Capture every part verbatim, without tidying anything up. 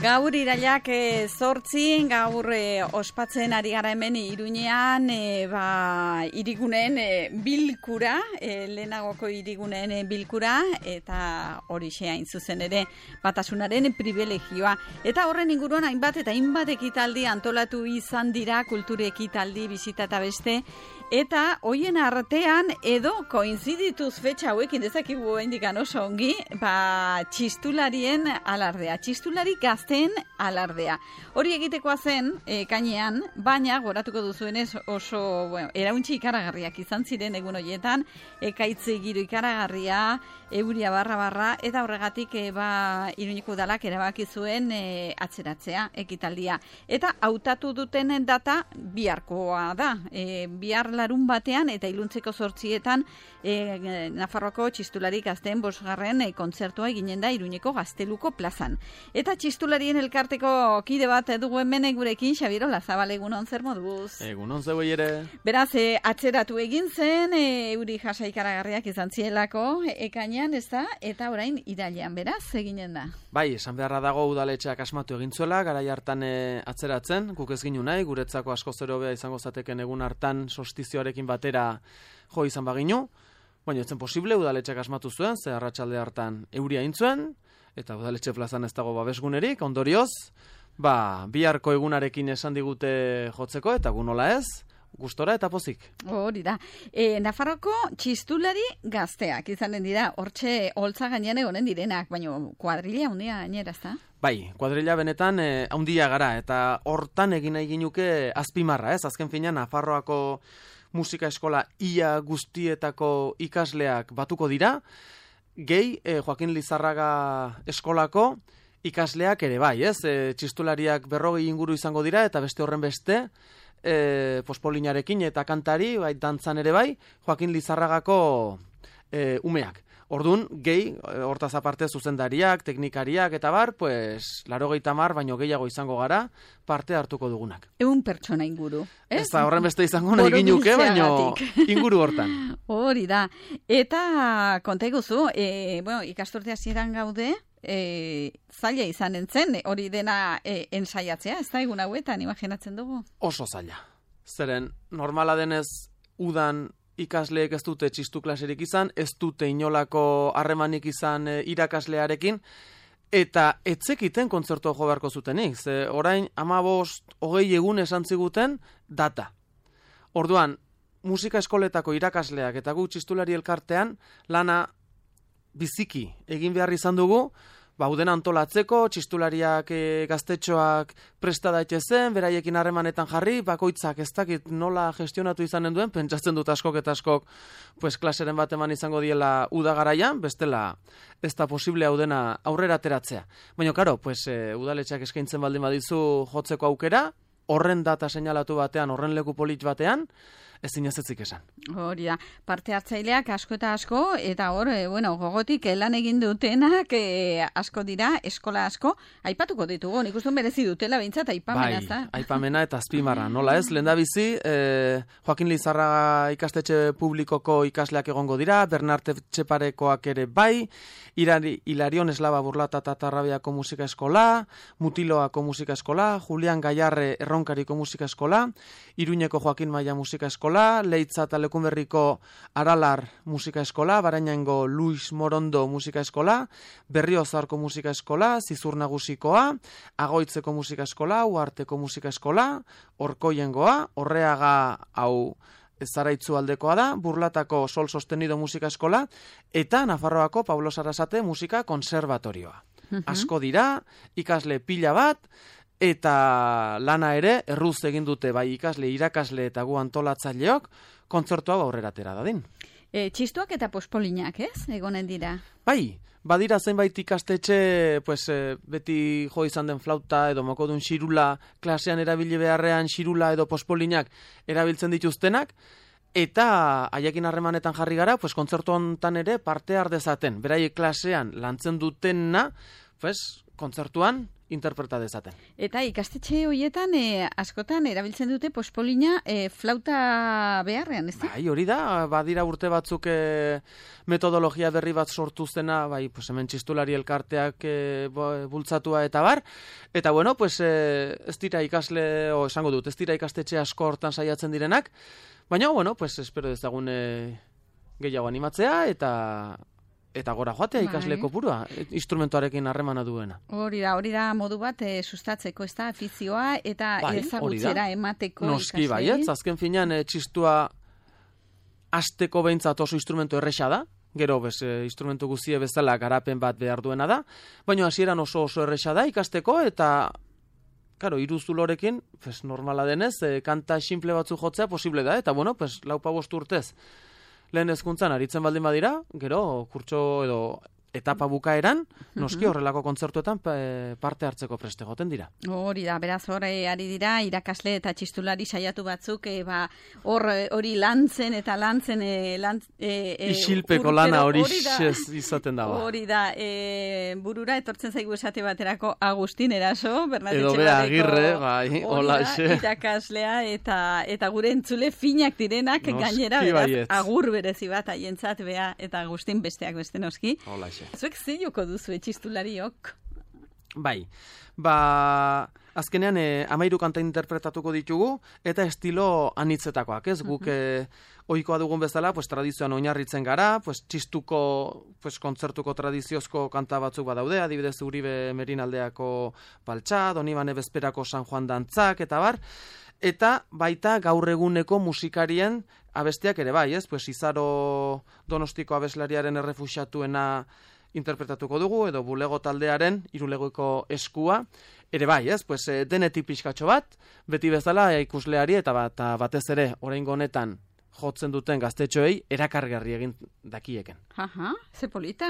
Gaur irailak e, zortzi, gaur e, ospatzen ari gara hemen Iruñean, e, ba, irigunen e, bilkura, e, lehenagoko irigunen e, bilkura, eta hori hain zuzen ere batasunaren privilegioa. Eta horren inguruan hainbat eta hainbat ekitaldi antolatu izan dira, kultur ekitaldi, bisita eta beste, eta hoien artean edo koinzidituz fetxa hauekin dezakigu indikan oso ongi, ba, txistularien alardea, txistulari gazten alardea. Hori egitekoa zen ekainean, baina goratuko duzuenez oso bueno, erauntzi ikaragarriak izan ziren egun horietan, ekaitze giro ikaragarria, euria barra barra, eta horregatik e, ba, Iruñeko udalak erabaki zuen e, atzeratzea ekitaldia. Eta hautatu duten data biharkoa da, e, bihar larun batean eta iluntzeko zortzietan e, Nafarroako txistulari gazteen bosgarren e, kontzertua eginen da Iruñeko Gazteluko plazan. Eta txistularien elkarteko kide bat dugu hemen gurekin, Xabier Olazabal, egunon zer moduz? Egunon zeuei ere. Beraz, e, atzeratu egin zen, e, euri jasa ikaragarriak izan zielako ekainean, ez da, eta orain irailean, beraz, eginen da. Bai, esan beharra dago udaletxeak asmatu egin zuela, garai hartan e, atzeratzen, guk ez ginu nahi, guretzako asko zero bea izango zateken egun hartan solstizioarekin batera jo izan baginu, baina etzen posible udaletxeak asmatu zuen, ze arratsalde hartan euria intzuen, eta udaletxe plazan ez dago babesgunerik, ondorioz, ba, biharko egunarekin esan digute jotzeko, eta gu nola ez, gustora eta pozik. Hori da. E, Nafarroko txistulari gazteak izanen dira, hortxe holtza gainean egonen direnak, baina kuadrilla handia gainera, ezta? Bai, kuadrilla benetan e, handia gara, eta hortan egin nahi ginuke azpimarra, ez? Azken finean Nafarroako musika eskola ia guztietako ikasleak batuko dira, gehi e, Joaquin Lizarraga eskolako ikasleak ere bai, ez? E, txistulariak berrogei inguru izango dira, eta beste horren beste, E, pospolinarekin eta kantari, bai, dantzan ere bai, Joaquin Lizarragako e, umeak. Ordun gehi, hortaz aparte zuzendariak, teknikariak eta bar, pues, larogeita hamar baino gehiago izango gara, parte hartuko dugunak. Egun pertsona inguru, ez? Ez da horren beste izango nahi ginuke, baino inguru hortan. Hori da. Eta konta iguzu, e, bueno, ikasturte hasieran gaude, E, zaila izan entzen, hori dena e, ensaiatzea, ez da egun hauetan, imaginatzen dugu? Oso zaila. Zeren, normala denez, udan ikasleek ez dute txistu klaserik izan, ez dute inolako harremanik izan e, irakaslearekin, eta etzekiten kontzertua jo beharko zutenik. Ze, orain, hamabost, hogei egun esan ziguten data. Orduan, musika eskoletako irakasleak eta gu txistulari elkartean, lana biziki egin behar izan dugu, ba, udena antolatzeko, txistulariak e, gaztetxoak presta daitezen, beraiekin harremanetan jarri, bakoitzak ez dakit nola gestionatu izanen duen, pentsatzen dut askok eta askok pues, klaseren bat eman izango diela uda garaian, bestela ez da posible hau dena aurrera ateratzea. Baina, karo, pues, e, udaletxeak eskaintzen baldin badizu jotzeko aukera, horren data seinalatu batean, horren leku polit batean, ezin ez etzik esan. Hori da, parte hartzaileak asko eta asko, eta hor, e, bueno, gogotik lan egin dutenak e, asko dira, eskola asko, aipatuko ditugu, nik uste merezi dutela behintzat aipamena, bai, za? aipamena eta azpimarra, nola ez, lehen da bizi, e, Joaquin Lizarraga ikastetxe publikoko ikasleak egongo dira, Bernart Etxeparekoak ere bai, Irari, Hilarion Eslaba Burlata Tatarrabiako musika eskola, Mutiloako musika eskola, Julian Gaiarre Erronkariko musika eskola, Iruñeko Joaquin Maia musika eskola, Leitza eta Lekunberriko Aralar musika eskola, Barainaingo Luis Morondo musika eskola, Berriozarko musika eskola, Zizur Nagusikoa, Agoitzeko musika eskola, Uarteko musika eskola, Orkoiengoa, Orreaga hau Zaraitzu aldekoa da, Burlatako Sol Sostenido musika eskola, eta Nafarroako Pablo Sarasate musika konservatorioa. Uh-huh. Asko dira, ikasle pila bat, eta lana ere, erruz egin dute bai ikasle, irakasle eta gu antolatzaileok, kontzertua aurrera atera dadin. E, txistuak eta pospolinak, ez? Egonen dira. Bai, badira zenbait ikastetxe, pues, e, beti jo izan den flauta edo mokodun xirula, klasean erabili beharrean xirula edo pospolinak erabiltzen dituztenak, eta haiekin harremanetan jarri gara, pues, kontzertu hontan ere parte har dezaten. Beraiek klasean lantzen dutena, pues, kontzertuan interpreta dezaten. Eta ikastetxe horietan e, askotan erabiltzen dute pospolina e, flauta beharrean, ez da? Bai, hori da, badira urte batzuk e, metodologia berri bat sortu zena, bai, pues hemen txistulari elkarteak e, bultzatua eta bar, eta bueno, pues e, ez dira ikasle, o esango dut, ez dira ikastetxe asko hortan saiatzen direnak, baina, bueno, pues espero dezagun e, gehiago animatzea, eta Eta gora joatea ikasle kopurua, instrumentuarekin harremana duena. Hori da, hori da modu bat e, sustatzeko, ez da, afizioa eta bai, ezagutzera emateko noski bai, ez, azken finean e, txistua hasteko behintzat oso instrumentu erresa da, gero bez, e, instrumentu guztie bezala garapen bat behar duena da, baina hasieran oso oso erresa da ikasteko, eta Karo, iruzulorekin, pues, normala denez, e, kanta simple batzu jotzea posible da, eta bueno, pues, laupa bostu urtez. Lehen hezkuntzan aritzen baldin badira, gero kurtso edo etapa bukaeran, noski horrelako kontzertuetan parte hartzeko preste goten dira. Hori da, beraz hor ari dira, irakasle eta txistulari saiatu batzuk, e, ba, hor hori lantzen eta lantzen... E, lantz, e, e, Isilpeko urtero, lana hori izaten dago. Hori da, e, burura etortzen zaigu esate baterako Agustin Eraso, Bernat Edo bea Agirre, bai, hola xe. Irakaslea eta, eta gure entzule finak direnak, noski, gainera, beraz, agur berezi bat haientzat bea eta Agustin besteak beste noski. Hola xe. Zuek zeioko duzu etxistulariok? Bai, ba, azkenean e, amairu kanta interpretatuko ditugu, eta estilo anitzetakoak, ez? Guk e, ohikoa dugun bezala, pues, tradizioan oinarritzen gara, pues, txistuko, pues, kontzertuko tradiziozko kanta batzuk badaude, adibidez Uribe Merinaldeako Baltsa, Donibane Bezperako San Juan dantzak, eta bar, eta baita gaur eguneko musikarien abestiak ere bai, ez? Pues, Izaro Donostiko abeslariaren errefuxatuena interpretatuko dugu, edo bulego taldearen irulegoiko eskua, ere bai, ez? Pues, e, denetik pixkatxo bat, beti bezala ikusleari eta bat, batez ere, oraingo honetan jotzen duten gaztetxoei, erakargarri egin dakieken. Aha, ze polita.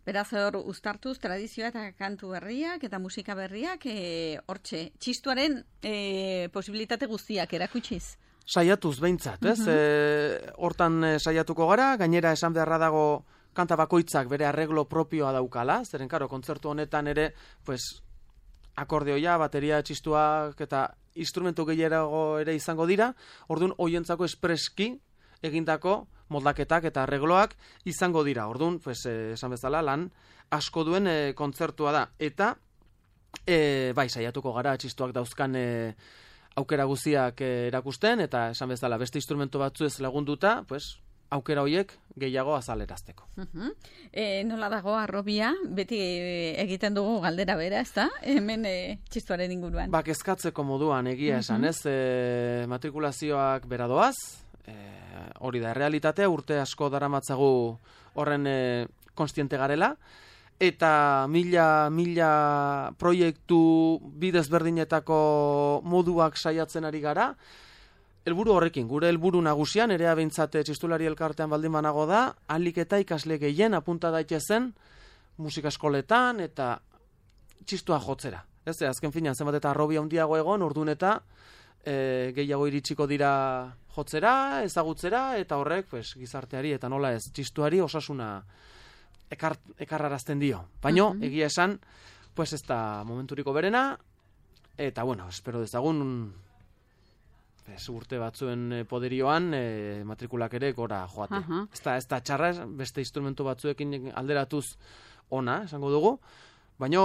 Beraz, hor uztartuz, tradizioa eta kantu berriak eta musika berriak, e, hortxe, txistuaren e, posibilitate guztiak erakutsiz. Saiatuz behintzat, ez? Uh-huh. E, hortan e, saiatuko gara, gainera esan beharra dago kanta bakoitzak bere arreglo propioa daukala, zeren karo, kontzertu honetan ere, pues, akordeoia, bateria, txistuak eta instrumentu gehiago ere izango dira, orduan hoientzako espreski egindako moldaketak eta arregloak izango dira. Orduan, pues, eh, esan bezala, lan asko duen eh, kontzertua da. Eta, eh, bai, saiatuko gara txistuak dauzkan eh, aukera guztiak eh, erakusten, eta esan bezala, beste instrumentu batzu ez lagunduta, pues, aukera horiek gehiago azalerazteko. Uh-huh. E, nola dago arrobia, beti e, egiten dugu galdera bera, ez da? Hemen e, txistuaren inguruan. Ba, kezkatzeko moduan egia esan, uh-huh. ez? E, matrikulazioak beradoaz, e, hori da, errealitatea urte asko daramatzagu horren e, konstiente garela, eta mila, mila proiektu bidez berdinetako moduak saiatzen ari gara, helburu horrekin, gure helburu nagusian, ere abeintzate txistulari elkartean baldin banago da, ahalik eta ikasle gehien apunta daitezen musika eskoletan eta txistua jotzera. Ez, azken finean, zenbat eta arrobia handiago egon, ordun eta e, gehiago iritsiko dira jotzera, ezagutzera, eta horrek pues, gizarteari eta nola ez, txistuari osasuna ekar, ekarrarazten dio. Baina, uh-huh. egia esan, pues ez da momenturiko berena, eta bueno, espero dezagun ez urte batzuen poderioan e, matrikulak ere gora joate. Uh-huh. Ez da, ez da txarra, beste instrumentu batzuekin alderatuz ona, esango dugu, baina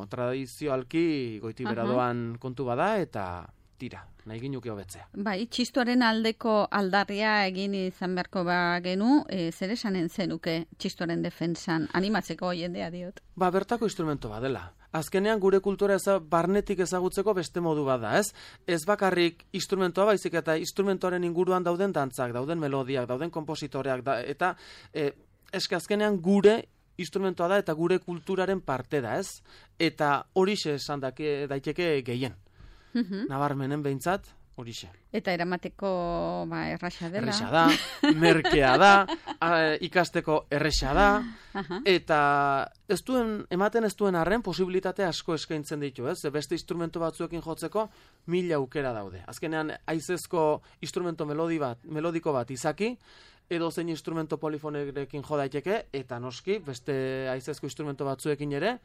tradizioalki goiti bera doan kontu bada, eta tira, nahi ginuke hobetzea. Bai, txistuaren aldeko aldarria egin izan beharko ba genu, e, zer esanen zenuke txistuaren defensan, animatzeko jendea diot? Ba, bertako instrumento badela. Azkenean gure kultura eza, barnetik ezagutzeko beste modu bada, ez? Ez bakarrik instrumentoa baizik eta instrumentoaren inguruan dauden dantzak, dauden melodiak, dauden kompositoreak, da, eta e, eske azkenean gure instrumentoa da eta gure kulturaren parte da, ez? Eta horixe esan dake, daiteke gehien. Uh-huh. Nabarmenen behintzat, horixe. Eta eramateko ba, erraxa dela. Erraxa da, merkea da, a, ikasteko erraxa da, uh-huh. eta ez duen, ematen ez duen arren posibilitate asko eskaintzen ditu, ez? Beste instrumento batzuekin jotzeko mila aukera daude. Azkenean, haizezko instrumento melodi bat, melodiko bat izaki, edo zein instrumento polifonerekin jo daiteke, eta noski, beste haizezko instrumento batzuekin ere,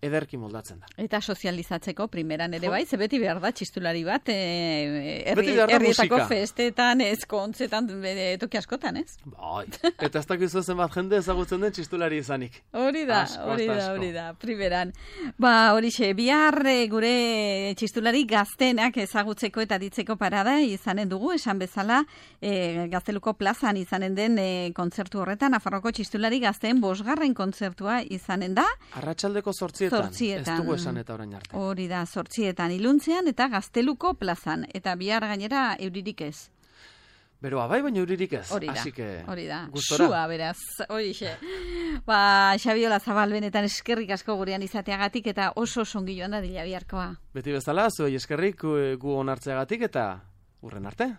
ederki moldatzen da. Eta sozializatzeko primeran ere bai, ze beti behar da txistulari bat, e, herri, herrietako festetan, ezkontzetan, toki askotan, ez? Bai, eta ez dakizu zenbat jende ezagutzen den txistulari izanik. Hori da, hori da, hori da, primeran. Ba, horixe, bihar gure txistulari gaztenak ezagutzeko eta ditzeko parada izanen dugu, esan bezala, e, Gazteluko plazan izanen den e, kontzertu horretan, Nafarroko txistulari gazteen bosgarren kontzertua izanen da. Arratsaldeko zortzi Zortzietan. Ez dugu esan eta orain arte. Hori da, zortzietan iluntzean eta Gazteluko plazan. Eta bihar gainera euririk ez. Beroa bai, baina euririk ez. Hori da, Asike, hori da. Gustora. Sua, beraz. Horixe. Ba, Xabiola Zabal benetan eskerrik asko gurean izateagatik eta oso songi joan da dila biharkoa. Beti bezala, zuei eskerrik gu onartzeagatik eta urren arte.